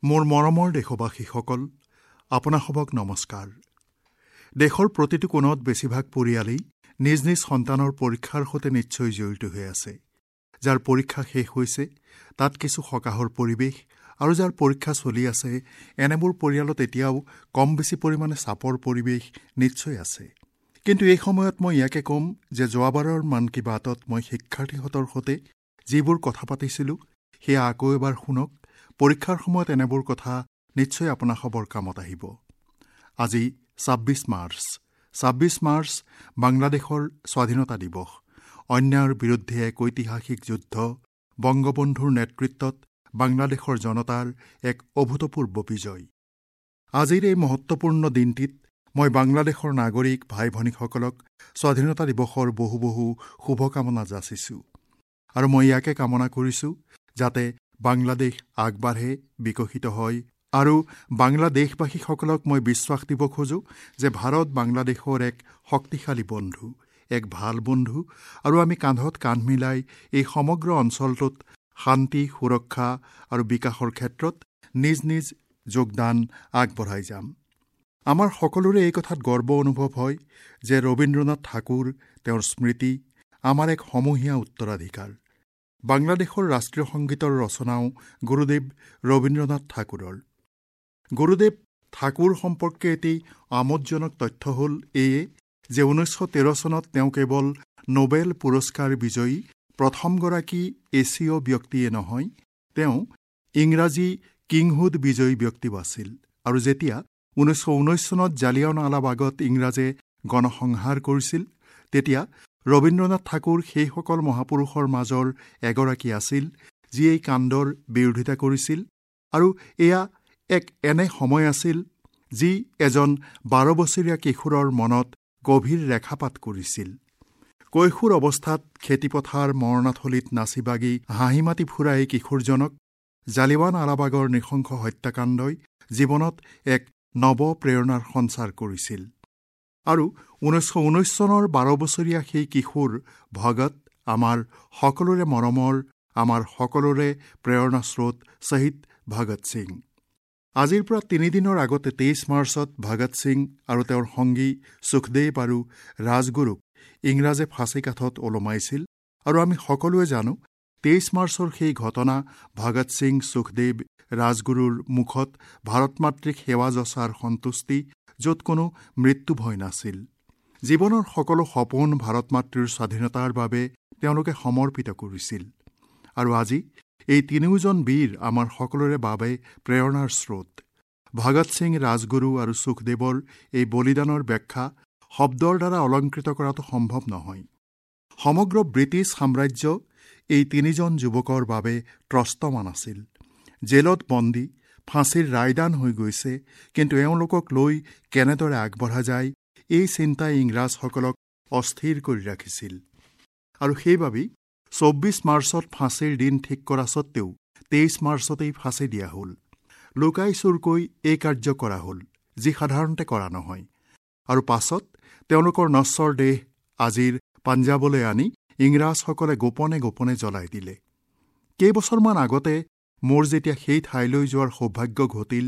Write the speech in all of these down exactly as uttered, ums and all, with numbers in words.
মোৰ মৰমৰ দেশবাসীসকল, আপোনাসবক নমস্কাৰ। দেশৰ প্ৰতিটো কোণত বেছিভাগ পৰিয়ালেই নিজ নিজ সন্তানৰ পৰীক্ষাৰ সৈতে নিশ্চয় জড়িত হৈ আছে। যাৰ পৰীক্ষা শেষ হৈছে তাত কিছু সকাহৰ পৰিৱেশ, আৰু যাৰ পৰীক্ষা চলি আছে এনেবোৰ পৰিয়ালত এতিয়াও কম বেছি পৰিমাণে চাপৰ পৰিৱেশ নিশ্চয় আছে। কিন্তু এই সময়ত মই ইয়াকে ক'ম যে যোৱাবাৰৰ মন কী বাতত মই শিক্ষাৰ্থীহঁতৰ সৈতে যিবোৰ কথা পাতিছিলোঁ সেয়া আকৌ এবাৰ শুনক। পৰীক্ষাৰ সময়ত এনেবোৰ কথা নিশ্চয় আপোনাসবৰ কামত আহিব। আজি ছাব্বিছ মাৰ্চ। ছাব্বিছ মাৰ্চ বাংলাদেশৰ স্বাধীনতা দিৱস। অন্যায়ৰ বিৰুদ্ধে এক ঐতিহাসিক যুদ্ধ, বংগবন্ধুৰ নেতৃত্বত বাংলাদেশৰ জনতাৰ এক অভূতপূৰ্ব বিজয়। আজিৰ এই মহত্বপূৰ্ণ দিনটিত মই বাংলাদেশৰ নাগৰিক ভাই ভনীসকলক স্বাধীনতা দিৱসৰ বহু বহু শুভকামনা যাচিছোঁ, আৰু মই ইয়াকে কামনা কৰিছোঁ যাতে বাংলাদেশ আগবাঢ়ে, বিকশিত হয়। আৰু বাংলাদেশবাসীসকলক মই বিশ্বাস দিব খোজোঁ যে ভাৰত বাংলাদেশৰ এক শক্তিশালী বন্ধু, এক ভাল বন্ধু, আৰু আমি কান্ধত কান্ধ মিলাই এই সমগ্ৰ অঞ্চলটোত শান্তি, সুৰক্ষা আৰু বিকাশৰ ক্ষেত্ৰত নিজ নিজ যোগদান আগবঢ়াই যাম। আমাৰ সকলোৰে এই কথাত গৰ্ব অনুভৱ হয় যে ৰবীন্দ্ৰনাথ ঠাকুৰ, তেওঁৰ স্মৃতি আমাৰ এক সমূহীয়া উত্তৰাধিকাৰ। বাংলাদেশৰ ৰাষ্ট্ৰীয় সংগীতৰ ৰচনাও গুৰুদেৱ ৰবীন্দ্ৰনাথ ঠাকুৰৰ। গুৰুদেৱ ঠাকুৰ সম্পৰ্কে এটি আমোদজনক তথ্য হ'ল এয়ে যে ঊনৈছশ তেৰ চনত তেওঁ কেৱল নোবেল পুৰস্কাৰ বিজয়ী প্ৰথমগৰাকী এছীয় ব্যক্তিয়ে নহয়, তেওঁ ইংৰাজী কিংহুড বিজয়ী ব্যক্তিও আছিল। আৰু যেতিয়া ঊনৈছশ ঊনৈছ চনত জালিয়ানৱালাবাগত ইংৰাজে গণসংহাৰ কৰিছিল, তেতিয়া ৰবীন্দ্ৰনাথ ঠাকুৰ সেইসকল মহাপুৰুষৰ মাজৰ এগৰাকী আছিল যিয়ে এই কাণ্ডৰ বিৰোধিতা কৰিছিল। আৰু এয়া এক এনে সময় আছিল যি এজন বাৰ বছৰীয়া কিশোৰৰ মনত গভীৰ ৰেখাপাত কৰিছিল। কৈশোৰ অৱস্থাত খেতিপথাৰ মৰণাথলীত নাচি বাগি হাঁহি মাতি ফুৰা এই কিশোৰজনক জালিৱান আলাবাগৰ নৃশংস হত্যাকাণ্ডই জীৱনত এক নৱ প্ৰেৰণাৰ সঞ্চাৰ কৰিছিল। আৰু ঊনৈছশ ঊনৈছ চনৰ বাৰ বছৰীয়া সেই কিশোৰ ভগত আমাৰ সকলোৰে মৰমৰ, আমাৰ সকলোৰে প্ৰেৰণা স্ৰোত শ্বহীদ ভগত সিং। আজিৰ পৰা তিনিদিনৰ আগতে তেইছ মাৰ্চত ভগত সিং আৰু তেওঁৰ সংগী সুখদেৱ আৰু ৰাজগুৰুক ইংৰাজে ফাঁচী কাঠত ওলমাইছিল। আৰু আমি সকলোৱে জানো তেইছ মাৰ্চৰ সেই ঘটনা ভগত সিং, সুখদেৱ, ৰাজগুৰুৰ মুখত ভাৰত মাতৃক সেৱা যচাৰ সন্তুষ্টি, য'ত কোনো মৃত্যু ভয় নাছিল। জীৱনৰ সকলো সপোন ভাৰত মাতৃৰ স্বাধীনতাৰ বাবে তেওঁলোকে সমৰ্পিত কৰিছিল। আৰু আজি এই তিনিওজন বীৰ আমাৰ সকলোৰে বাবে প্ৰেৰণাৰ স্ৰোত। ভগত সিং, ৰাজগুৰু আৰু সুখদেৱৰ এই বলিদানৰ ব্যাখ্যা শব্দৰ দ্বাৰা অলংকৃত কৰাটো সম্ভৱ নহয়। সমগ্ৰ ব্ৰিটিছ সাম্ৰাজ্য এই তিনিজন যুৱকৰ বাবে ত্ৰস্তমান আছিল। জেলত বন্দী, ফাঁচীৰ ৰায়দান হৈ গৈছে, কিন্তু এওঁলোকক লৈ কেনেদৰে আগবঢ়া যায় এই চিন্তাই ইংৰাজসকলক অস্থিৰ কৰি ৰাখিছিল। আৰু সেইবাবেই চৌব্বিছ মাৰ্চত ফাঁচীৰ দিন ঠিক কৰা সত্ত্বেও তেইছ মাৰ্চতেই ফাঁচী দিয়া হ'ল। লুকাই চুৰকৈ এই কাৰ্য কৰা হ'ল, যি সাধাৰণতে কৰা নহয়। আৰু পাছত তেওঁলোকৰ নশ্বৰ দেহ আজিৰ পাঞ্জাৱলৈ আনি ইংৰাজসকলে গোপনে গোপনে জ্বলাই দিলে। কেইবছৰমান আগতে মোৰ যেতিয়া সেই ঠাইলৈ যোৱাৰ সৌভাগ্য ঘটিল,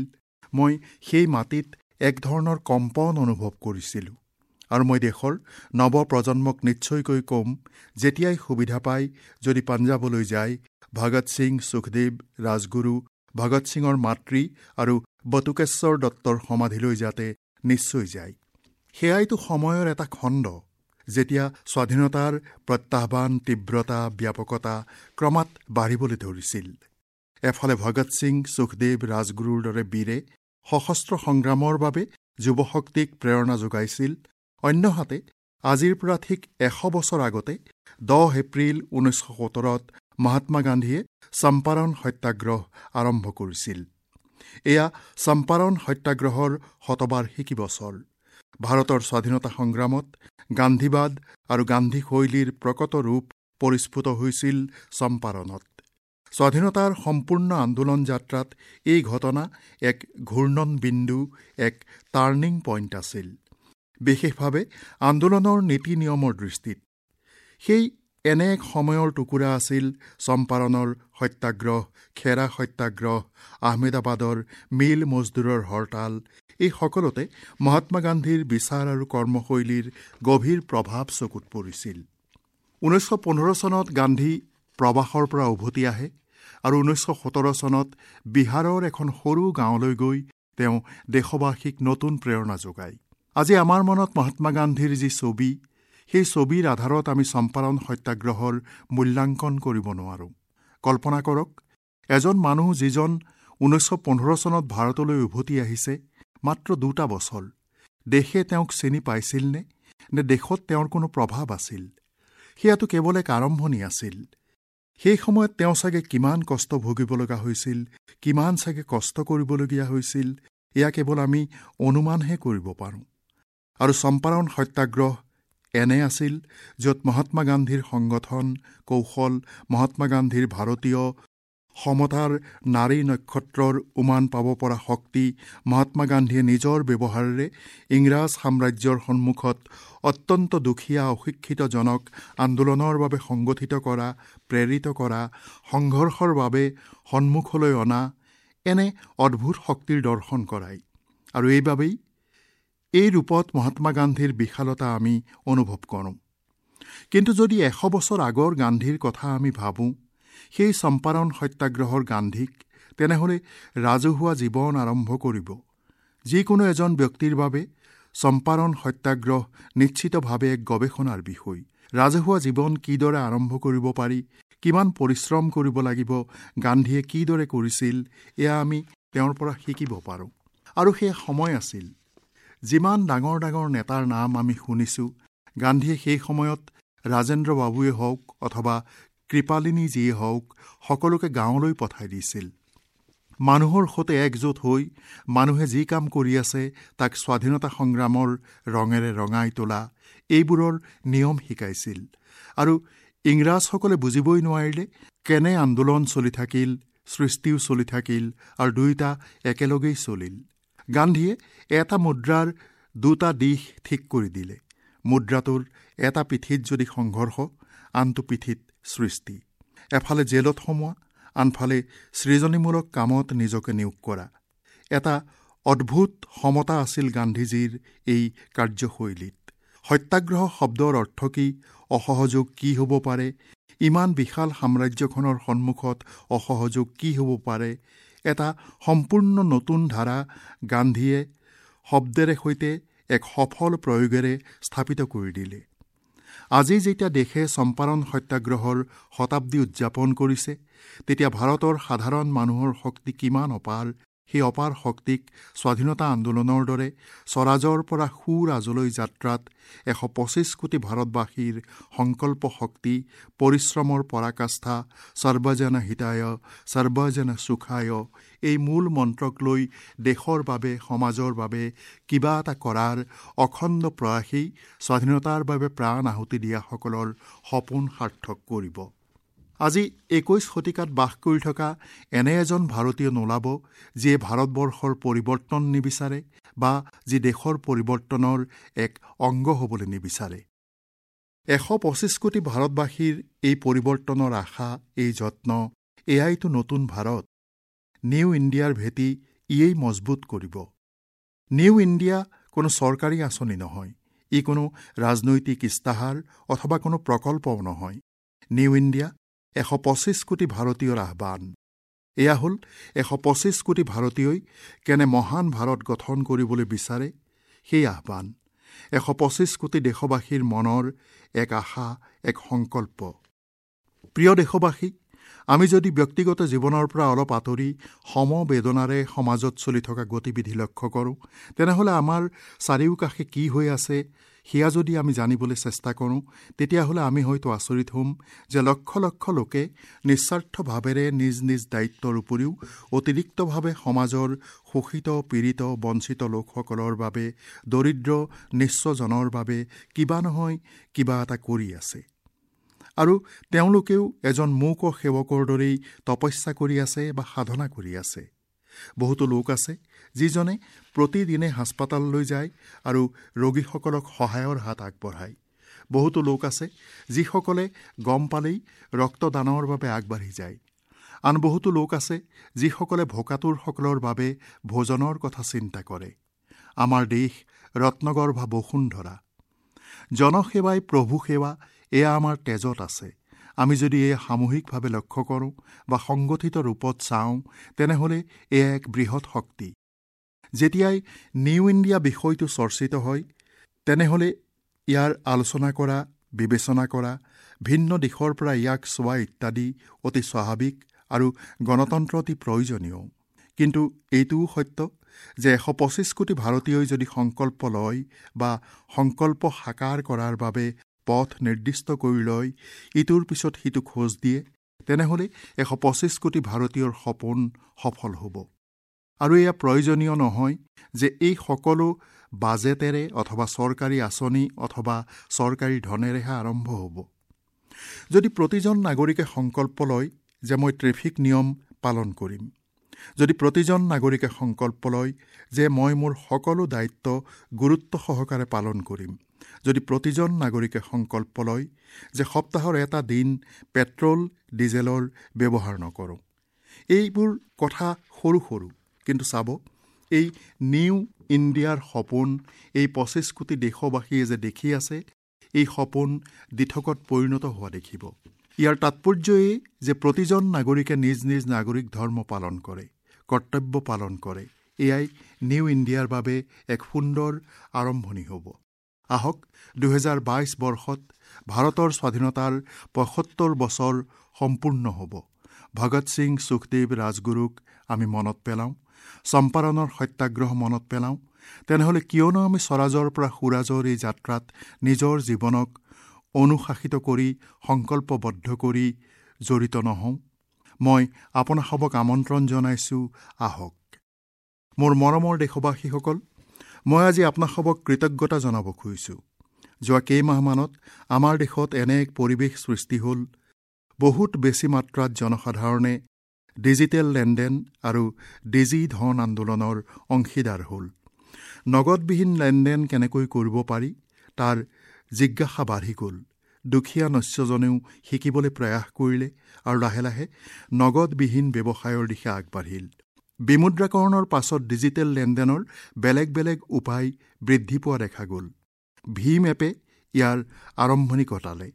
মই সেই মাটিত এক ধৰণৰ কম্পন অনুভৱ কৰিছিলোঁ। আৰু মই দেশৰ নৱপ্ৰজন্মক নিশ্চয়কৈ ক'ম, যেতিয়াই সুবিধা পায় যদি পাঞ্জাৱলৈ যায়, ভগত সিং, সুখদেৱ, ৰাজগুৰু, ভগত সিঙৰ মাতৃ আৰু বটুকেশ্বৰ দত্তৰ সমাধিলৈ যাতে নিশ্চয় যায়। সেয়াইতো সময়ৰ এটা খণ্ড, যেতিয়া স্বাধীনতাৰ প্ৰত্যাহ্বান, তীব্ৰতা, ব্যাপকতা ক্ৰমাৎ বাঢ়িবলৈ ধৰিছিল। এফালে ভগত সিং, সুখদেৱ, ৰাজগুৰুৰ দৰে বীৰে সশস্ত্ৰ সংগ্ৰামৰ বাবে যুৱশক্তিক প্ৰেৰণা যোগাইছিল, অন্যহাতে আজিৰ পৰা ঠিক এশ বছৰ আগতে দহ এপ্ৰিল ঊনৈছশ সোতৰত মহাত্মা গান্ধীয়ে চম্পাৰণ সত্যাগ্ৰহ আৰম্ভ কৰিছিল। এয়া চম্পাৰণ সত্যাগ্ৰহৰ শতবাৰ্ষিকী বছৰ। ভাৰতৰ স্বাধীনতা সংগ্ৰামত গান্ধীবাদ আৰু গান্ধী শৈলীৰ প্ৰকট ৰূপ পৰিস্ফুট হৈছিল চম্পাৰণত। স্বাধীনতাৰ সম্পূৰ্ণ আন্দোলন যাত্ৰাত এই ঘটনা এক ঘূৰ্ণন বিন্দু, এক টাৰ্ণিং পইণ্ট আছিল, বিশেষভাৱে আন্দোলনৰ নীতি নিয়মৰ দৃষ্টিত। সেই এনে এক সময়ৰ টুকুৰা আছিল চম্পাৰণৰ সত্যাগ্ৰহ, খেৰা সত্যাগ্ৰহ, আহমেদাবাদৰ মিল মজদুৰৰ হৰতাল। এই সকলোতে মহাত্মা গান্ধীৰ বিচাৰ আৰু কৰ্মশৈলীৰ গভীৰ প্ৰভাৱ চকুত পৰিছিল। ঊনৈছশ পোন্ধৰ চনত গান্ধী প্ৰবাসৰ পৰা উভতি আহে আৰু ঊনৈছশ সোতৰ চনত বিহাৰৰ এখন সৰু গাঁৱলৈ গৈ তেওঁ দেশবাসীক নতুন প্ৰেৰণা যোগায়। আজি আমাৰ মনত মহাত্মা গান্ধীৰ যি ছবি, সেই ছবিৰ আধাৰত আমি চম্পাৰণ সত্যাগ্ৰহৰ মূল্যাংকন কৰিব নোৱাৰোঁ। কল্পনা কৰক, এজন মানুহ যিজন ঊনৈছশ পোন্ধৰ চনত ভাৰতলৈ উভতি আহিছে, মাত্ৰ দুটা বছৰ, দেশে তেওঁক চিনি পাইছিলনে নে দেশত তেওঁৰ কোনো প্ৰভাৱ আছিল? সেয়াটো কেৱল এক আৰম্ভণি আছিল। সেই সময়ত তেওঁ চাগে কিমান কষ্ট ভুগিব লগা হৈছিল, কিমান চাগে কষ্ট কৰিবলগীয়া হৈছিল, এয়া কেৱল আমি অনুমানহে কৰিব পাৰোঁ। আৰু চম্পাৰণ সত্যাগ্ৰহ এনে আছিল য'ত মহাত্মা গান্ধীৰ সংগঠন কৌশল, মহাত্মা গান্ধীৰ ভাৰতীয় সমতাৰ নাৰী নক্ষত্ৰৰ উমান পাব পৰা শক্তি, মহাত্মা গান্ধীয়ে নিজৰ ব্যৱহাৰেৰে ইংৰাজ সাম্ৰাজ্যৰ সন্মুখত অত্যন্ত দুখীয়া অশিক্ষিতজনক আন্দোলনৰ বাবে সংগঠিত কৰা, প্ৰেৰিত কৰা, সংঘৰ্ষৰ বাবে সন্মুখলৈ অনা এনে অদ্ভুত শক্তিৰ দৰ্শন কৰায়। আৰু এইবাবেই এই ৰূপত মহাত্মা গান্ধীৰ বিশালতা আমি অনুভৱ কৰোঁ। কিন্তু যদি এশ বছৰ আগৰ গান্ধীৰ কথা আমি ভাবোঁ, সেই চম্পাৰণ সত্যাগ্ৰহৰ গান্ধীক, তেনেহ'লে ৰাজহুৱা জীৱন আৰম্ভ কৰিব যিকোনো এজন ব্যক্তিৰ বাবে চম্পাৰণ সত্যাগ্ৰহ নিশ্চিতভাৱে এক গৱেষণাৰ বিষয়। ৰাজহুৱা জীৱন কিদৰে আৰম্ভ কৰিব পাৰি, কিমান পৰিশ্ৰম কৰিব লাগিব, গান্ধীয়ে কিদৰে কৰিছিল, এয়া আমি তেওঁৰ পৰা শিকিব পাৰোঁ। আৰু সেই সময় আছিল, যিমান ডাঙৰ ডাঙৰ নেতাৰ নাম আমি শুনিছোঁ, গান্ধীয়ে সেই সময়ত ৰাজেন্দ্ৰ বাবুৱে হওক অথবা কৃপালিনীজীয়ে হওক, সকলোকে গাঁৱলৈ পঠাই দিছিল। মানুহৰ সৈতে একজোট হৈ মানুহে যি কাম কৰি আছে তাক স্বাধীনতা সংগ্ৰামৰ ৰঙেৰে ৰঙাই তোলা, এইবোৰৰ নিয়ম শিকাইছিল। আৰু ইংৰাজসকলে বুজিবই নোৱাৰিলে কেনে আন্দোলন চলি থাকিল, সৃষ্টিও চলি থাকিল আৰু দুয়োটা একেলগেই চলিল। গান্ধীয়ে এটা মুদ্ৰাৰ দুটা দিশ ঠিক কৰি দিলে। মুদ্ৰাটোৰ এটা পিঠিত যদি সংঘৰ্ষ, আনটো পিঠিত সৃষ্টি। এফালে জেলত সোমোৱা, আনফালে সৃজনীমূলক কামত নিজকে নিয়োগ কৰা। এটা অদ্ভুত সমতা আছিল গান্ধীজীৰ এই কাৰ্যশৈলীত। সত্যাগ্ৰহ শব্দৰ অৰ্থ কি, অসহযোগ কি হ'ব পাৰে, ইমান বিশাল সাম্ৰাজ্যখনৰ সন্মুখত অসহযোগ কি হ'ব পাৰে, এটা সম্পূৰ্ণ নতুন ধাৰা গান্ধীয়ে শব্দেৰে সৈতে এক সফল প্ৰয়োগেৰে স্থাপিত কৰি দিলে। আজি যেতিয়া দেশে চম্পাৰণ সত্যাগ্ৰহৰ শতাব্দী উদযাপন কৰিছে, তেতিয়া ভাৰতৰ সাধাৰণ মানুহৰ শক্তি কিমান অপাৰ, সেই অপাৰ শক্তিক স্বাধীনতা আন্দোলনৰ দৰে স্বৰাজৰ পৰা সুৰাজলৈ যাত্ৰাত এশ পঁচিছ কোটি ভাৰতবাসীৰ সংকল্প শক্তি, পৰিশ্ৰমৰ পৰাকাষ্ঠা, সৰ্বজন হিতায় সৰ্বজন সুখায় এই মূল মন্ত্ৰক লৈ দেশৰ বাবে, সমাজৰ বাবে কিবা এটা কৰাৰ অখণ্ড প্ৰয়াসেই স্বাধীনতাৰ বাবে প্ৰাণ আহুতি দিয়াসকলৰ সপোন সাৰ্থক কৰিব। আজি একৈশ শতিকাত বাস কৰি থকা এনে এজন ভাৰতীয় নোলাব যিয়ে ভাৰতবৰ্ষৰ পৰিৱৰ্তন নিবিচাৰে বা যি দেশৰ পৰিৱৰ্তনৰ এক অংগ হ'বলৈ নিবিচাৰে। এশ পঁচিছ কোটি ভাৰতবাসীৰ এই পৰিৱৰ্তনৰ আশা, এই যত্ন, এয়াইতো নতুন ভাৰত। নিউ ইণ্ডিয়াৰ ভেটি ইয়েই মজবুত কৰিব। নিউ ইণ্ডিয়া কোনো চৰকাৰী আঁচনি নহয়, ই কোনো ৰাজনৈতিক ইস্তাহাৰ অথবা কোনো প্ৰকল্পও নহয়। নিউ ইণ্ডিয়া এশ পঁচিছ কোটি ভাৰতীয়ৰ আহ্বান। এয়া হ'ল এশ পঁচিছ কোটি ভাৰতীয়ই কেনে মহান ভাৰত গঠন কৰিবলৈ বিচাৰে সেই আহ্বান। এশ পঁচিছ কোটি দেশবাসীৰ মনৰ এক আশা, এক সংকল্প। প্ৰিয় দেশবাসী, আমি যদি ব্যক্তিগত জীৱনৰ পৰা অলপ আঁতৰি সমবেদনাৰে সমাজত চলি থকা গতিবিধি লক্ষ্য কৰোঁ, তেনেহ'লে আমাৰ চাৰিওকাষে কি হৈ আছে সেয়া যদি আমি জানিবলৈ চেষ্টা কৰোঁ, তেতিয়াহ'লে আমি হয়তো আচৰিত হ'ম যে লক্ষ লক্ষ লোকে নিস্বাৰ্থভাৱেৰে নিজ নিজ দায়িত্বৰ উপৰিও অতিৰিক্তভাৱে সমাজৰ শোষিত, পীড়িত, বঞ্চিত লোকসকলৰ বাবে, দৰিদ্ৰ নিঃস্বজনৰ বাবে কিবা নহয় কিবা এটা কৰি আছে। আৰু তেওঁলোকেও এজন মূক সেৱকৰ দৰেই তপস্যা কৰি আছে বা সাধনা কৰি আছে। বহুতো লোক আছে যিজনে প্ৰতিদিনে হাস্পতাললৈ যায় আৰু ৰোগীসকলক সহায়ৰ হাত আগবঢ়ায়। বহুতো লোক আছে যিসকলে গম পালেই ৰক্তদানৰ বাবে আগবাঢ়ি যায়। আন বহুতো লোক আছে যিসকলে ভোকাতুৰসকলৰ বাবে ভোজনৰ কথা চিন্তা কৰে। আমাৰ দেশ ৰত্নগৰ্ভা বসুন্ধৰা। জনসেৱাই প্ৰভু সেৱা, এয়া আমাৰ তেজত আছে। আমি যদি এয়া সামূহিকভাৱে লক্ষ্য কৰোঁ বা সংগঠিত ৰূপত চাওঁ, তেনেহ'লে এয়া এক বৃহৎ শক্তি। যেতিয়াই নিউ ইণ্ডিয়া বিষয়টো চৰ্চিত হয়, তেনেহ'লে ইয়াৰ আলোচনা কৰা, বিবেচনা কৰা, ভিন্ন দিশৰ পৰা ইয়াক চোৱা ইত্যাদি অতি স্বাভাৱিক আৰু গণতন্ত্ৰ অতি প্ৰয়োজনীয়। কিন্তু এইটোও সত্য যে এশ পঁচিছ কোটি ভাৰতীয়ই যদি সংকল্প লয় বা সংকল্প সাকাৰ কৰাৰ বাবে পথ নিৰ্দিষ্ট কৰি লয়, ইটোৰ পিছত সিটো খোজ দিয়ে, তেনেহ'লে এশ পঁচিছ কোটি ভাৰতীয়ৰ সপোন সফল হ'ব। আৰু এয়া প্ৰয়োজনীয় নহয় যে এই সকলো বাজেটেৰে অথবা চৰকাৰী আঁচনি অথবা চৰকাৰী ধনেৰেহে আৰম্ভ হ'ব। যদি প্ৰতিজন নাগৰিকে সংকল্প লয় যে মই ট্ৰেফিক নিয়ম পালন কৰিম, যদি প্ৰতিজন নাগৰিকে সংকল্প লয় যে মই মোৰ সকলো দায়িত্ব গুৰুত্ব সহকাৰে পালন কৰিম, যদি প্ৰতিজন নাগৰিকে সংকল্প লয় যে সপ্তাহৰ এটা দিন পেট্ৰল ডিজেলৰ ব্যৱহাৰ নকৰোঁ, এইবোৰ কথা সৰু সৰু, কিন্তু চাব এই নিউ ইণ্ডিয়াৰ সপোন এই পঁচিছ কোটি দেশবাসীয়ে যে দেখি আছে, এই সপোন দিঠকত পৰিণত হোৱা দেখিব। ইয়াৰ তাৎপৰ্য এই যে প্ৰতিজন নাগৰিকে নিজ নিজ নাগৰিক ধৰ্ম পালন কৰে, কৰ্তব্য পালন কৰে। এয়াই নিউ ইণ্ডিয়াৰ বাবে এক সুন্দৰ আৰম্ভণি হ'ব। আহক, দুহেজাৰ বাইছ বৰ্ষত ভাৰতৰ স্বাধীনতাৰ পঁয়সত্তৰ বছৰ সম্পূৰ্ণ হ'ব। ভগত সিং, সুখদেৱ, ৰাজগুৰুক আমি মনত পেলাওঁ, চম্পাৰণৰ সত্যাগ্ৰহ মনত পেলাওঁ। তেনেহ'লে কিয়নো আমি স্বৰাজৰ পৰা সুৰাজৰ এই যাত্ৰাত নিজৰ জীৱনক অনুশাসিত কৰি, সংকল্পবদ্ধ কৰি জড়িত নহওঁ? মই আপোনাসবক আমন্ত্ৰণ জনাইছোঁ, আহক। মোৰ মৰমৰ দেশবাসীসকল, মই আজি আপোনাসবক কৃতজ্ঞতা জনাব খুজিছোঁ। যোৱা কেইমাহমানত আমাৰ দেশত এনে এক পৰিৱেশ সৃষ্টি হ'ল, বহুত বেছি মাত্ৰাত জনসাধাৰণে ডিজিটেল লেনদেন আৰু ডিজি ধন আন্দোলনৰ অংশীদাৰ হ'ল। নগদবিহীন লেনদেন কেনেকৈ কৰিব পাৰি তাৰ জিজ্ঞাসা বাঢ়ি গ'ল। দুখীয়া নস্যজনেও শিকিবলৈ প্ৰয়াস কৰিলে আৰু লাহে লাহে নগদবিহীন ব্যৱসায়ৰ দিশে আগবাঢ়িল। বিমুদ্ৰাকৰণৰ পাছত ডিজিটেল লেনদেনৰ বেলেগ বেলেগ উপায় বৃদ্ধি পোৱা দেখা গ'ল। ভীম এপে ইয়াৰ আৰম্ভণি ঘটালে।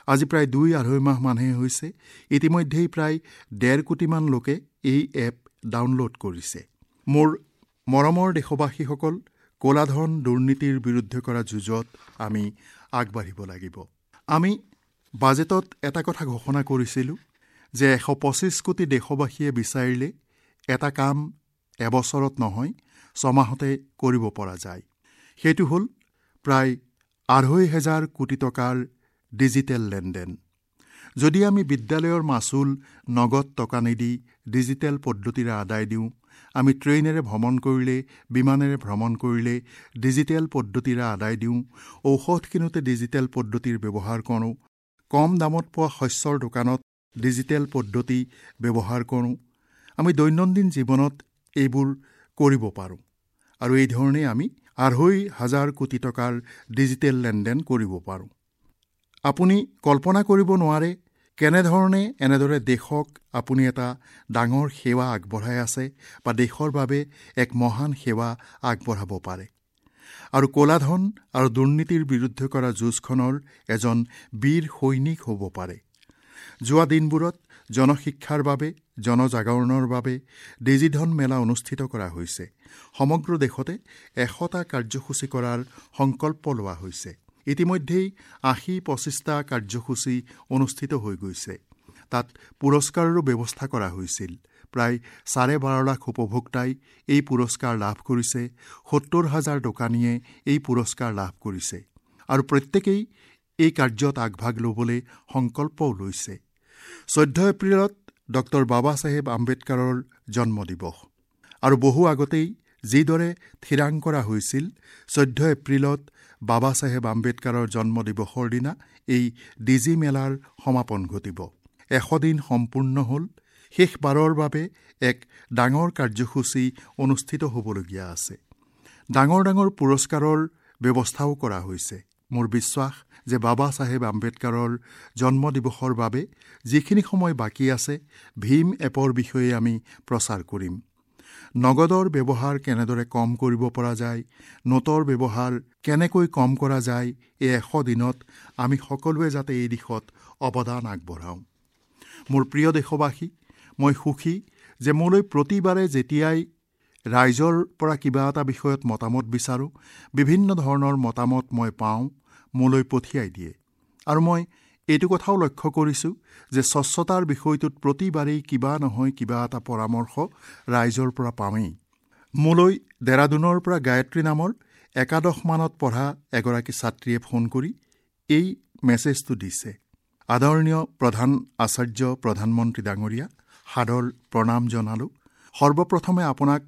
আজি প্ৰায় দুই আঢ়ৈ মাহ মানহে হৈছে, ইতিমধ্যেই প্ৰায় ডেৰ কোটিমান লোকে এই এপ ডাউনলোড কৰিছে। মোৰ মৰমৰ দেশবাসীসকল, ক'লাধন দুৰ্নীতিৰ বিৰুদ্ধে কৰা যুঁজত আমি আগবাঢ়িব লাগিব। আমি বাজেটত এটা কথা ঘোষণা কৰিছিলোঁ যে এশ পঁচিছ কোটি দেশবাসীয়ে বিচাৰিলে এটা কাম এবছৰত নহয়, ছমাহতে কৰিব পৰা যায়। সেইটো হ'ল প্ৰায় আঢ়ৈ হেজাৰ কোটি টকাৰ ডিজিটেল লেনদেন। যদি আমি বিদ্যালয়ৰ মাচুল নগদ টকা নিদি ডিজিটেল পদ্ধতিৰে আদায় দিওঁ, আমি ট্ৰেইনেৰে ভ্ৰমণ কৰিলে, বিমানেৰে ভ্ৰমণ কৰিলে ডিজিটেল পদ্ধতিৰে আদায় দিওঁ, ঔষধ কিনোতে ডিজিটেল পদ্ধতিৰ ব্যৱহাৰ কৰোঁ, কম দামত পোৱা শস্যৰ দোকানত ডিজিটেল পদ্ধতি ব্যৱহাৰ কৰোঁ, আমি দৈনন্দিন জীৱনত এইবোৰ কৰিব পাৰোঁ। আৰু এই ধৰণে আমি আঢ়ৈ হাজাৰ কোটি টকাৰ ডিজিটেল লেনদেন কৰিব পাৰোঁ। আপুনি কল্পনা কৰিব নোৱাৰে কেনেধৰণে এনেদৰে দেশক আপুনি এটা ডাঙৰ সেৱা আগবঢ়াই আছে বা দেশৰ বাবে এক মহান সেৱা আগবঢ়াব পাৰে। আৰু ক'লাধন আৰু দুৰ্নীতিৰ বিৰুদ্ধে কৰা যুঁজখনৰ এজন বীৰ সৈনিক হ'ব পাৰে। যোৱা দিনবোৰত জনশিক্ষাৰ বাবে, জনজাগৰণৰ বাবে ডিজিধন মেলা অনুষ্ঠিত কৰা হৈছে। সমগ্ৰ দেশতে এশটা কাৰ্যসূচী কৰাৰ সংকল্প লোৱা হৈছে। ইতিমধ্যেই আশী পঁচিছটা কাৰ্যসূচী অনুষ্ঠিত হৈ গৈছে। তাত পুৰস্কাৰৰো ব্যৱস্থা কৰা হৈছিল। প্ৰায় চাৰে বাৰ লাখ উপভোক্তাই এই পুৰস্কাৰ লাভ কৰিছে। সত্তৰ হাজাৰ দোকানীয়ে এই পুৰস্কাৰ লাভ কৰিছে আৰু প্ৰত্যেকেই এই কাৰ্যত আগভাগ ল'বলৈ সংকল্পও লৈছে। চৈধ্য এপ্ৰিলত ডক্টৰ বাবা চাহেব আম্বেদকাৰৰ জন্মদিৱস আৰু বহু আগতেই যিদৰে থিৰাং কৰা হৈছিল, চৈধ্য এপ্ৰিলত বাবা চাহেব আম্বেদকাৰৰ জন্মদিৱসৰ দিনা এই ডিজি মেলাৰ সমাপন ঘটিব। এশ দিন সম্পূৰ্ণ হ'ল। শেষবাৰৰ বাবে এক ডাঙৰ কাৰ্যসূচী অনুষ্ঠিত হ'বলগীয়া আছে। ডাঙৰ ডাঙৰ পুৰস্কাৰৰ ব্যৱস্থাও কৰা হৈছে। মোৰ বিশ্বাস যে বাবা চাহেব আম্বেদকাৰৰ জন্মদিৱসৰ বাবে যিখিনি সময় বাকী আছে, ভীম এপৰ বিষয়ে আমি প্ৰচাৰ কৰিম। নগদৰ ব্যৱহাৰ কেনেদৰে কম কৰিব পৰা যায়, নোটৰ ব্যৱহাৰ কেনেকৈ কম কৰা যায়, এই এশ দিনত আমি সকলোৱে যাতে এই দিশত অৱদান আগবঢ়াওঁ। মোৰ প্ৰিয় দেশবাসী, মই সুখী যে মোলৈ প্ৰতিবাৰে যেতিয়াই ৰাইজৰ পৰা কিবা এটা বিষয়ত মতামত বিচাৰোঁ, বিভিন্ন ধৰণৰ মতামত মই পাওঁ, মোলৈ পঠিয়াই দিয়ে। আৰু মই এইটো কথাও লক্ষ্য কৰিছোঁ যে স্বচ্ছতাৰ বিষয়টোত প্ৰতিবাৰেই কিবা নহয় কিবা এটা পৰামৰ্শ ৰাইজৰ পৰা পাওঁৱেই। মোলৈ ডেৰাডুনৰ পৰা গায়ত্ৰী নামৰ একাদশ মানত পঢ়া এগৰাকী ছাত্ৰীয়ে ফোন কৰি এই মেছেজটো দিছে। আদৰণীয় প্ৰধান আচাৰ্য প্ৰধানমন্ত্ৰী ডাঙৰীয়া, সাদৰ প্ৰণাম জনালোঁ। সৰ্বপ্ৰথমে আপোনাক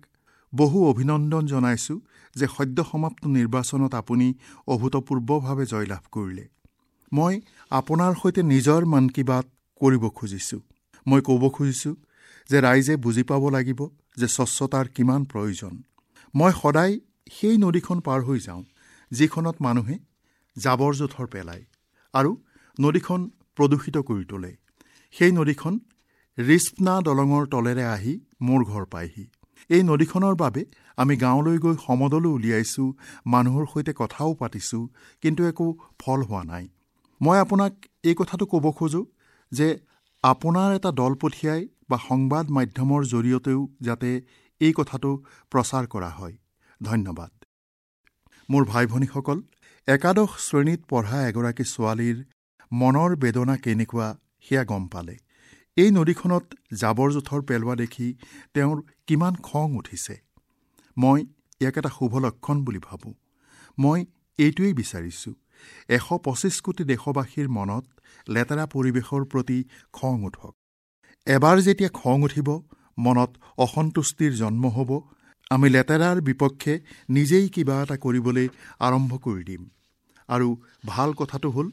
বহু অভিনন্দন জনাইছোঁ যে সদ্য সমাপ্ত নিৰ্বাচনত আপুনি অভূতপূৰ্বভাৱে জয়লাভ কৰিলে। মই আপোনাৰ সৈতে নিজৰ মন কী বাত কৰিব খুজিছোঁ। মই ক'ব খুজিছোঁ যে ৰাইজে বুজি পাব লাগিব যে স্বচ্ছতাৰ কিমান প্ৰয়োজন। মই সদায় সেই নদীখন পাৰ হৈ যাওঁ যিখনত মানুহে জাবৰ জোঁথৰ পেলায় আৰু নদীখন প্ৰদূষিত কৰি তোলে। সেই নদীখন ৰিস্পনা দলঙৰ তলেৰে আহি মোৰ ঘৰ পায়হি। এই নদীখনৰ বাবে আমি গাঁৱলৈ গৈ সমদলো উলিয়াইছোঁ, মানুহৰ সৈতে কথাও পাতিছোঁ, কিন্তু একো ফল হোৱা নাই। মই আপোনাক এই কথাটো ক'ব খোজোঁ যে আপোনাৰ এটা দল পঠিয়াই বা সংবাদ মাধ্যমৰ জৰিয়তেও যাতে এই কথাটো প্ৰচাৰ কৰা হয়। ধন্যবাদ। মোৰ ভাই ভনীসকল, একাদশ শ্ৰেণীত পঢ়া এগৰাকী ছোৱালীৰ মনৰ বেদনা কেনেকুৱা সেয়া গম পালে। এই নদীখনত জাবৰ জোঁথৰ পেলোৱা দেখি তেওঁৰ কিমান খং উঠিছে। মই ইয়াক এটা শুভ লক্ষণ বুলি ভাবোঁ। মই এইটোৱেই বিচাৰিছোঁ, এশ পঁচিছ কোটি দেশবাসীৰ মনত লেতেৰা পৰিৱেশৰ প্ৰতি খং উঠক। এবাৰ যেতিয়া খং উঠিব, মনত অসন্তুষ্টিৰ জন্ম হ'ব, আমি লেতেৰাৰ বিপক্ষে নিজেই কিবা এটা কৰিবলৈ আৰম্ভ কৰি দিম। আৰু ভাল কথাটো হ'ল,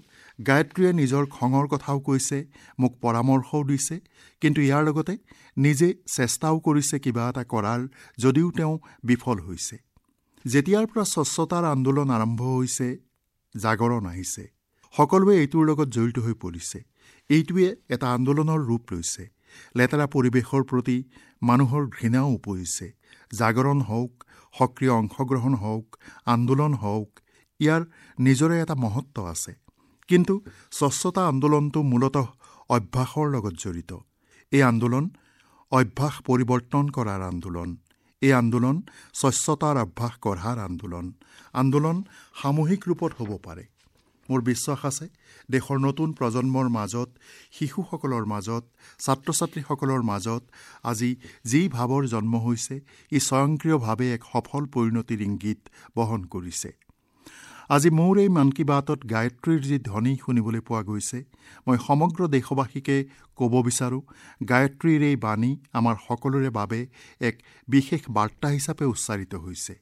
গায়ত্ৰীয়ে নিজৰ খঙৰ কথাও কৈছে, মোক পৰামৰ্শও দিছে, কিন্তু ইয়াৰ লগতে নিজে চেষ্টাও কৰিছে কিবা এটা কৰাৰ, যদিও তেওঁ বিফল হৈছে। যেতিয়াৰ পৰা স্বচ্ছতাৰ আন্দোলন আৰম্ভ হৈছে, জাগৰণ আহিছে, সকলোৱে এইটোৰ লগত জড়িত হৈ পৰিছে। এইটোৱে এটা আন্দোলনৰ ৰূপ লৈছে। লেতেৰা পৰিৱেশৰ প্ৰতি মানুহৰ ঘৃণাও উপজিছে। জাগৰণ হওক, সক্ৰিয় অংশগ্ৰহণ হওক, আন্দোলন হওক, ইয়াৰ নিজৰে এটা মহত্ব আছে। কিন্তু স্বচ্ছতা আন্দোলনটো মূলতঃ অভ্যাসৰ লগত জড়িত। এই আন্দোলন অভ্যাস পৰিৱৰ্তন কৰাৰ আন্দোলন। এই আন্দোলন স্বচ্ছতাৰ অভ্যাস গঢ়াৰ আন্দোলন। আন্দোলন সামূহিক ৰূপত হ'ব পাৰে। মোৰ বিশ্বাস আছে দেশৰ নতুন প্ৰজন্মৰ মাজত, শিশুসকলৰ মাজত, ছাত্ৰ ছাত্ৰীসকলৰ মাজত আজি যি ভাৱৰ জন্ম হৈছে, ই স্বয়ংক্ৰিয়ভাৱে এক সফল পৰিণতিৰ ইংগিত বহন কৰিছে। আজি মোৰ এই মন কী বাতত গায়ত্ৰীৰ যি ধ্বনি শুনিবলৈ পোৱা গৈছে, মই সমগ্ৰ দেশবাসীকে ক'ব বিচাৰোঁ, গায়ত্ৰীৰ এই বাণী আমাৰ সকলোৰে বাবে এক বিশেষ বাৰ্তা হিচাপে উচ্চাৰিত হৈছে।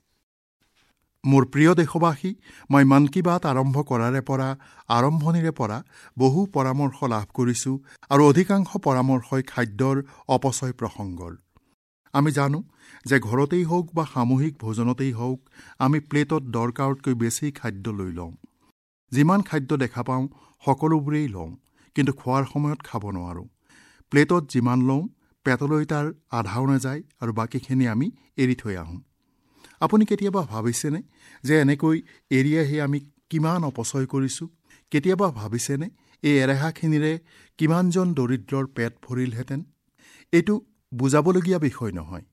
মোৰ প্ৰিয় দেশবাসী, মই মন কী বাত আৰম্ভ কৰাৰে পৰা, আৰম্ভণিৰে পৰা বহু পৰামৰ্শ লাভ কৰিছোঁ আৰু অধিকাংশ পৰামৰ্শই খাদ্যৰ অপচয় প্ৰসংগৰ। আমি জানো যে ঘৰতেই হওক বা সামূহিক ভোজনতেই হওক, আমি প্লেটত দৰকাৰতকৈ বেছি খাদ্য লৈ লওঁ। যিমান খাদ্য দেখা পাওঁ সকলোবোৰেই লওঁ, কিন্তু খোৱাৰ সময়ত খাব নোৱাৰোঁ। প্লেটত যিমান লওঁ পেটলৈ তাৰ আধাও নাযায় আৰু বাকীখিনি আমি এৰি থৈ আহোঁ। আপুনি কেতিয়াবা ভাবিছেনে যে এনেকৈ এৰি আহি আমি কিমান অপচয় কৰিছোঁ? কেতিয়াবা ভাবিছেনে এই এৰেহাখিনিৰে কিমানজন দৰিদ্ৰৰ পেট ভৰিলহেঁতেন? এইটো বুজাবলগীয়া বিষয় নহয়।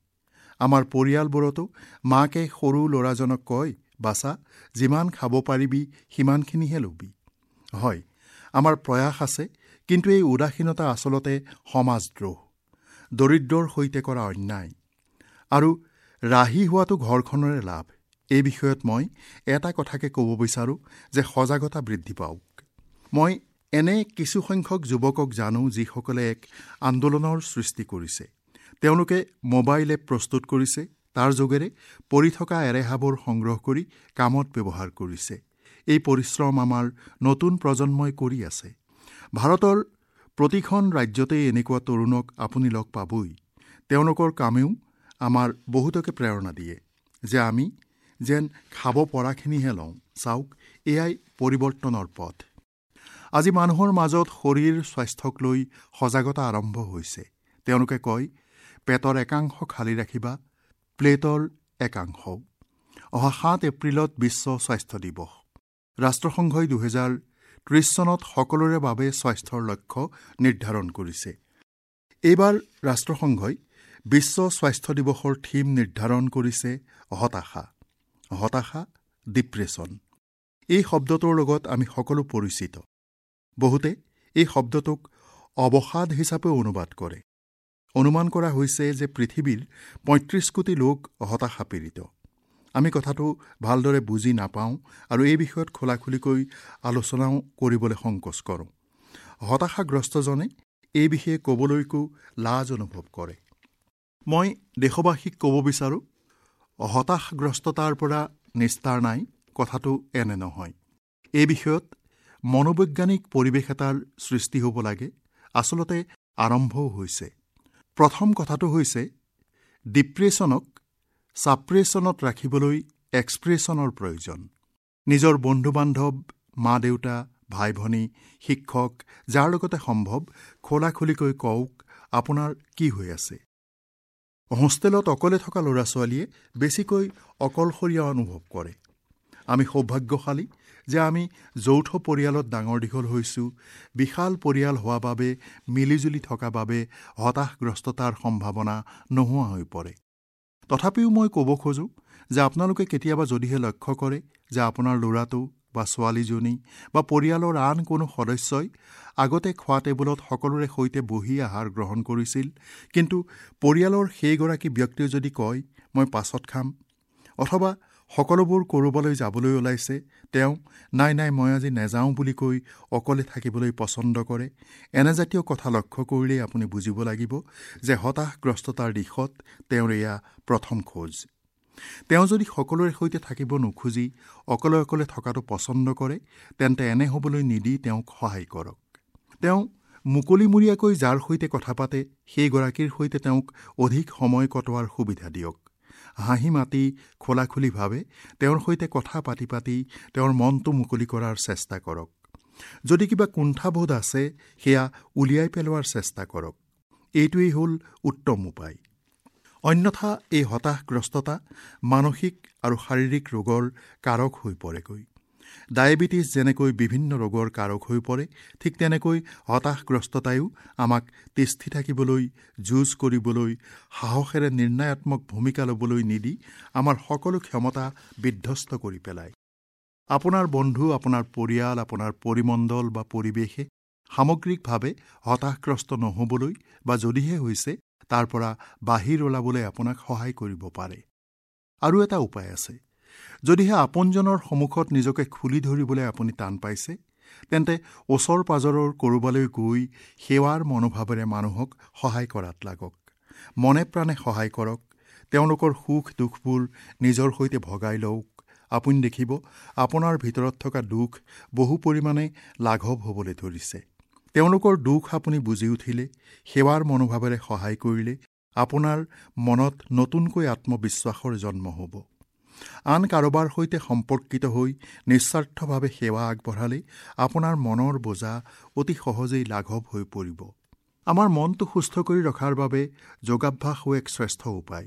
আমাৰ পৰিয়ালবোৰতো মাকে সৰু ল'ৰাজনক কয়, বাচা, যিমান খাব পাৰিবি সিমানখিনিহে ল'বি। হয়, আমাৰ প্ৰয়াস আছে, কিন্তু এই উদাসীনতা আচলতে সমাজদ্ৰোহ, দৰিদ্ৰৰ সৈতে কৰা অন্যায়। আৰু ৰাহি হোৱাটো ঘৰখনৰে লাভ। এই বিষয়ত মই এটা কথাকে ক'ব বিচাৰোঁ যে সজাগতা বৃদ্ধি পাওক। মই এনে কিছুসংখ্যক যুৱকক জানো যিসকলে এক আন্দোলনৰ সৃষ্টি কৰিছে। তেওঁলোকে মোবাইল এপ প্ৰস্তুত কৰিছে, তাৰ যোগেৰে পৰি থকা এৰেহাবোৰ সংগ্ৰহ কৰি কামত ব্যৱহাৰ কৰিছে। এই পৰিশ্ৰম আমাৰ নতুন প্ৰজন্মই কৰি আছে। ভাৰতৰ প্ৰতিখন ৰাজ্যতেই এনেকুৱা তৰুণক আপুনি লগ পাবই। তেওঁলোকৰ কামেও আমাৰ বহুতকে প্ৰেৰণা দিয়ে যে আমি যেন খাব পৰাখিনিহে লওঁ। চাওক, এয়াই পৰিৱৰ্তনৰ পথ। আজি মানুহৰ মাজত শৰীৰ স্বাস্থ্যক লৈ সজাগতা আৰম্ভ হৈছে। তেওঁলোকে কয়, পেটৰ একাংশ খালী ৰাখিবা, প্লেটৰ একাংশও। অহা সাত এপ্ৰিলত বিশ্ব স্বাস্থ্য দিৱস। ৰাষ্ট্ৰসংঘই দুহেজাৰ ত্ৰিছ চনত সকলোৰে বাবে স্বাস্থ্যৰ লক্ষ্য নিৰ্ধাৰণ কৰিছে। এইবাৰ ৰাষ্ট্ৰসংঘই বিশ্ব স্বাস্থ্য দিৱসৰ থিম নিৰ্ধাৰণ কৰিছে হতাশা। হতাশা, ডিপ্ৰেছন, এই শব্দটোৰ লগত আমি সকলো পৰিচিত। বহুতে এই শব্দটোক অৱসাদ হিচাপেও অনুবাদ কৰে। অনুমান কৰা হৈছে যে পৃথিৱীৰ পঁয়ত্ৰিছ কোটি লোক হতাশা পীড়িত। আমি কথাটো ভালদৰে বুজি নাপাওঁ আৰু এই বিষয়ত খোলাখুলিকৈ আলোচনাও কৰিবলৈ সংকোচ কৰোঁ। হতাশাগ্ৰস্তজনে এই বিষয়ে ক'বলৈকো লাজ অনুভৱ কৰে। মই দেশবাসীক ক'ব বিচাৰোঁ, হতাশগ্ৰস্ততাৰ পৰা নিস্তাৰ নাই, কথাটো এনে নহয়। এই বিষয়ত মনোবৈজ্ঞানিক পৰিৱেশ এটাৰ সৃষ্টি হ'ব লাগে, আচলতে আৰম্ভও হৈছে। প্ৰথম কথাটো হৈছে ডিপ্ৰেছনক ছাপ্ৰেছনত ৰাখিবলৈ এক্সপ্ৰেছনৰ প্ৰয়োজন। নিজৰ বন্ধু বান্ধৱ, মা দেউতা, ভাই ভনী, শিক্ষক, যাৰ লগতে সম্ভৱ খোলাখুলিকৈ কওক আপোনাৰ কি হৈ আছে। হোষ্টেলত অকলে থকা ল'ৰা ছোৱালীয়ে বেছিকৈ অকলশৰীয়া অনুভৱ কৰে। আমি সৌভাগ্যশালী যে আমি যৌথ পৰিয়ালত ডাঙৰ দীঘল হৈছোঁ। বিশাল পৰিয়াল হোৱা বাবে, মিলিজুলি থকা বাবে হতাশগ্ৰস্ততাৰ সম্ভাৱনা নোহোৱা হৈ পৰে। তথাপিও মই ক'ব খোজোঁ যে আপোনালোকে কেতিয়াবা যদিহে লক্ষ্য কৰে যে আপোনাৰ ল'ৰাটো বা ছোৱালীজনী বা পৰিয়ালৰ আন কোনো সদস্যই আগতে খোৱা টেবুলত সকলোৰে সৈতে বহি আহাৰ গ্ৰহণ কৰিছিল, কিন্তু পৰিয়ালৰ সেইগৰাকী ব্যক্তিয়ে যদি কয় মই পাছত খাম, অথবা সকলোবোৰ ক'ৰবালৈ যাবলৈ ওলাইছে, তেওঁ নাই নাই মই আজি নেযাওঁ বুলি কৈ অকলে থাকিবলৈ পচন্দ কৰে, এনেজাতীয় কথা লক্ষ্য কৰিলেই আপুনি বুজিব লাগিব যে হতাশগ্ৰস্ততাৰ দিশত তেওঁৰ এয়া প্ৰথম খোজ। তেওঁ যদি সকলোৰে সৈতে থাকিব নোখোজি অকলে অকলে থকাটো পচন্দ কৰে, তেন্তে এনে হ'বলৈ নিদি তেওঁক সহায় কৰক। তেওঁ মুকলিমূৰীয়াকৈ যাৰ সৈতে কথা পাতে সেইগৰাকীৰ সৈতে তেওঁক অধিক সময় কটোৱাৰ সুবিধা দিয়ক। হাঁহি মাতি খোলাখুলিভাৱে তেওঁৰ সৈতে কথা পাতি পাতি তেওঁৰ মনটো মুকলি কৰাৰ চেষ্টা কৰক। যদি কিবা কুণ্ঠাবোধ আছে সেয়া উলিয়াই পেলোৱাৰ চেষ্টা কৰক। এইটোৱেই হ'ল উত্তম উপায়। অন্যথা এই হতাশগ্ৰস্ততা মানসিক আৰু শাৰীৰিক ৰোগৰ কাৰক হৈ পৰেগৈ। ডায়েবেটিছ যেনেকৈ বিভিন্ন ৰোগৰ কাৰক হৈ পৰে, ঠিক তেনেকৈ হতাশগ্ৰস্ততায়ো আমাক তিষ্ঠি থাকিবলৈ, যুঁজ কৰিবলৈ, সাহসেৰে নিৰ্ণয়াত্মক ভূমিকা ল'বলৈ নিদি আমাৰ সকলো ক্ষমতা বিধ্বস্ত কৰি পেলায়। আপোনাৰ বন্ধু, আপোনাৰ পৰিয়াল, আপোনাৰ পৰিমণ্ডল বা পৰিৱেশে সামগ্ৰিকভাৱে হতাশগ্ৰস্ত নহ'বলৈ বা যদিহে হৈছে তাৰ পৰা বাহিৰ ওলাবলৈ আপোনাক সহায় কৰিব পাৰে। আৰু এটা উপায় আছে। যদিহে আপোনজনৰ সন্মুখত নিজকে খুলি ধৰিবলৈ আপুনি টান পাইছে, তেন্তে ওচৰ পাজৰৰ ক'ৰবালৈ গৈ সেৱাৰ মনোভাৱেৰে মানুহক সহায় কৰাত লাগক। মনে প্ৰাণে সহায় কৰক। তেওঁলোকৰ সুখ দুখবোৰ নিজৰ সৈতে ভগাই লওক। আপুনি দেখিব আপোনাৰ ভিতৰত থকা দুখ বহু পৰিমাণে লাঘৱ হ'বলৈ ধৰিছে। তেওঁলোকৰ দুখ আপুনি বুজি উঠিলে, সেৱাৰ মনোভাৱেৰে সহায় কৰিলে আপোনাৰ মনত নতুনকৈ আত্মবিশ্বাসৰ জন্ম হ'ব। আন কাৰোবাৰ সৈতে সম্পৰ্কিত হৈ নিস্বাৰ্থভাৱে সেৱা আগবঢ়ালে আপোনাৰ মনৰ বোজা অতি সহজেই লাঘৱ হৈ পৰিব। আমাৰ মনটো সুস্থ কৰি ৰখাৰ বাবে যোগাভ্যাসো এক শ্ৰেষ্ঠ উপায়।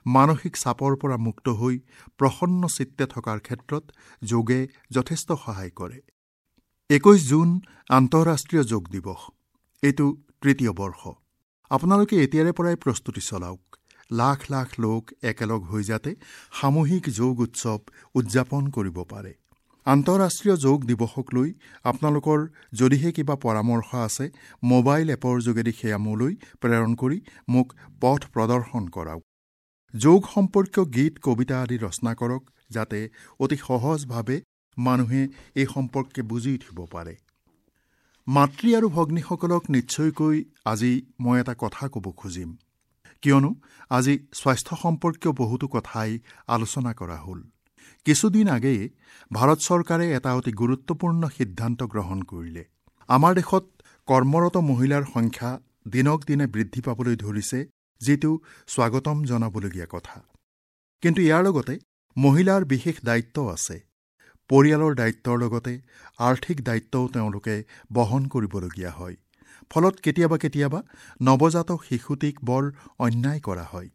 মানসিক চাপৰ পৰা মুক্ত হৈ প্ৰসন্ন চিত্তে থকাৰ ক্ষেত্ৰত যোগে যথেষ্ট সহায় কৰে। একৈশ জুন আন্তঃৰাষ্ট্ৰীয় যোগ দিৱস। এইটো তৃতীয় বৰ্ষ। আপোনালোকে এতিয়াৰে পৰাই প্ৰস্তুতি চলাওক। লাখ লাখ লোক একেলগ হৈ যাতে সামূহিক যোগ উৎসৱ উদযাপন কৰিব পাৰে। আন্তঃৰাষ্ট্ৰীয় যোগ দিৱসক লৈ আপোনালোকৰ যদিহে কিবা পৰামৰ্শ আছে, মোবাইল এপৰ যোগেদি সেয়া মোলৈ প্ৰেৰণ কৰি মোক পথ প্ৰদৰ্শন কৰাওক। যোগ সম্পৰ্কীয় গীত, কবিতা আদি ৰচনা কৰক, যাতে অতি সহজভাৱে মানুহে এই সম্পৰ্কে বুজি উঠিব পাৰে। মাতৃ আৰু ভগ্নীসকলক নিশ্চয়কৈ আজি মই এটা কথা ক'ব খুজিম, কিয়নো আজি স্বাস্থ্য সম্পৰ্কীয় বহুতো কথাই আলোচনা কৰা হ'ল। কিছুদিন আগেয়ে ভাৰত চৰকাৰে এটা অতি গুৰুত্বপূৰ্ণ সিদ্ধান্ত গ্ৰহণ কৰিলে। আমাৰ দেশত কৰ্মৰত মহিলাৰ সংখ্যা দিনক দিনে বৃদ্ধি পাবলৈ ধৰিছে, যিটো স্বাগতম জনাবলগীয়া কথা। কিন্তু ইয়াৰ লগতে মহিলাৰ বিশেষ দায়িত্ব আছে। পৰিয়ালৰ দায়িত্বৰ লগতে আৰ্থিক দায়িত্বও তেওঁলোকে বহন কৰিবলগীয়া হয়। ফলত কেতিয়াবা কেতিয়াবা নৱজাতক শিশুটিক বৰ অন্যায় কৰা হয়।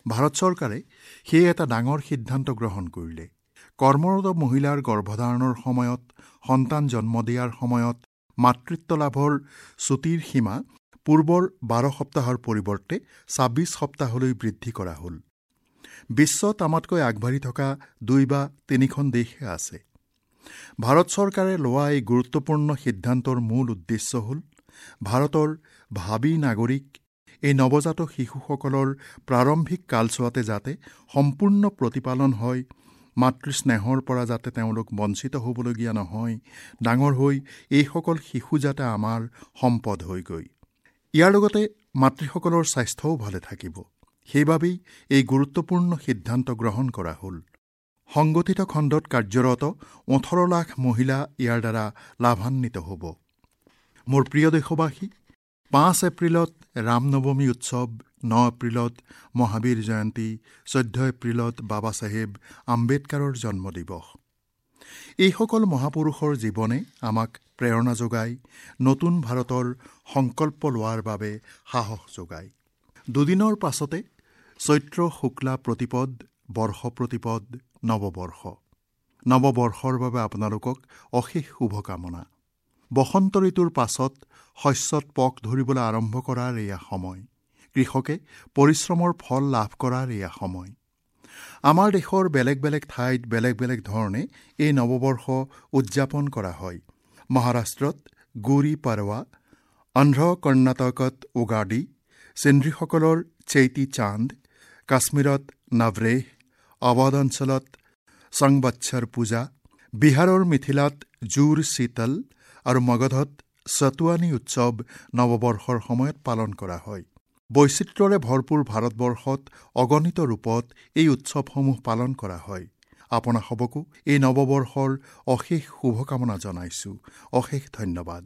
ভাৰত চৰকাৰে সেয়ে এটা ডাঙৰ সিদ্ধান্ত গ্ৰহণ কৰিলে। কৰ্মৰত মহিলাৰ গৰ্ভধাৰণৰ সময়ত, সন্তান জন্ম দিয়াৰ সময়ত মাতৃত্ব লাভৰ ছুটীৰ সীমা পূৰ্বৰ বাৰ সপ্তাহৰ পৰিৱৰ্তে ছাব্বিছ সপ্তাহলৈ বৃদ্ধি কৰা হ'ল। বিশ্বত আমাতকৈ আগবাঢ়ি থকা দুই বা তিনিখন দেশহে আছে। ভাৰত চৰকাৰে লোৱা এই গুৰুত্বপূৰ্ণ সিদ্ধান্তৰ মূল উদ্দেশ্য হ'ল ভাৰতৰ ভাবী নাগৰিক এই নৱজাতক শিশুসকলৰ প্ৰাৰম্ভিক কালছোৱাতে যাতে সম্পূৰ্ণ প্ৰতিপালন হয়, মাতৃস্নেহৰ পৰা যাতে তেওঁলোক বঞ্চিত হ'বলগীয়া নহয়, ডাঙৰ হৈ এইসকল শিশু যাতে আমাৰ সম্পদ হয়গৈ। ইয়াৰ লগতে মাতৃসকলৰ স্বাস্থ্যও ভালে থাকিব। সেইবাবেই এই গুৰুত্বপূৰ্ণ সিদ্ধান্ত গ্ৰহণ কৰা হ'ল। সংগঠিত খণ্ডত কাৰ্যৰত ওঠৰ লাখ মহিলা ইয়াৰ দ্বাৰা লাভান্বিত হ'ব। মোৰ প্ৰিয় দেশবাসী, পাঁচ এপ্ৰিলত ৰামনৱমী উৎসৱ, ন এপ্ৰিলত মহাবীৰ জয়ন্তী, চৈধ্য এপ্ৰিলত বাবা চাহেব আম্বেদকাৰৰ জন্মদিৱস। এইসকল মহাপুৰুষৰ জীৱনে আমাক প্ৰেৰণা যোগায়, নতুন ভাৰতৰ সংকল্প লোৱাৰ বাবে সাহস যোগায়। দুদিনৰ পাছতে চৈত্ৰ শুক্লা প্ৰতিপদ, বৰ্ষ প্ৰতিপদ, নৱবৰ্ষ। নৱবৰ্ষৰ বাবে আপোনালোকক অশেষ শুভকামনা। বসন্ত ঋতুৰ পাছত শস্যত পক ধৰিবলৈ আৰম্ভ কৰাৰ এয়া সময়। কৃষকে পৰিশ্ৰমৰ ফল লাভ কৰাৰ এয়া সময়। আমাৰ দেশৰ বেলেগ বেলেগ ঠাইত বেলেগ বেলেগ ধৰণে এই নৱবৰ্ষ উদযাপন কৰা হয়। মহাৰাষ্ট্ৰত গুৰি পাৰৱা, অন্ধ্ৰ কৰ্ণাটকত উগাডি, সিন্ধ্ৰীসকলৰ চৈতি চান্দ, কাশ্মীৰত নৱৰেহ, অৱধ অঞ্চলত সংবৎসৰ পূজা, বিহাৰৰ মিথিলাত জোৰ শীতল আৰু মগধত সতুৱানী উৎসৱ নৱবৰ্ষৰ সময়ত পালন কৰা হয়। বৈচিত্ৰ্যৰে ভৰপূৰ ভাৰতবৰ্ষত অগণিত ৰূপত এই উৎসৱসমূহ পালন কৰা হয়। আপোনাসবকো এই নৱবৰ্ষৰ অশেষ শুভকামনা জনাইছোঁ। অশেষ ধন্যবাদ।